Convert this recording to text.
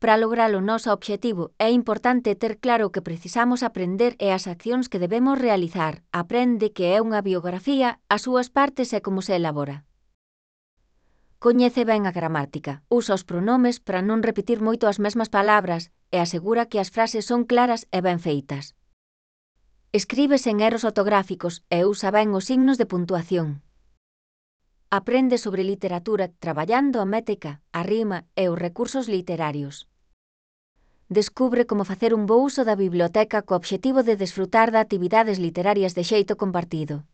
Para lograr o noso obxectivo, é importante ter claro o que precisamos aprender e as accións que debemos realizar. Aprende que é unha biografía, as súas partes e como se elabora. Coñece ben a gramática, usa os pronomes para non repetir moito as mesmas palabras e asegura que as frases son claras e ben feitas. Escribe sen erros ortográficos e usa ben os signos de puntuación. Aprende sobre literatura traballando a métrica, a rima e os recursos literarios. Descubre como facer un bo uso da biblioteca co obxectivo de desfrutar de actividades literarias de xeito compartido.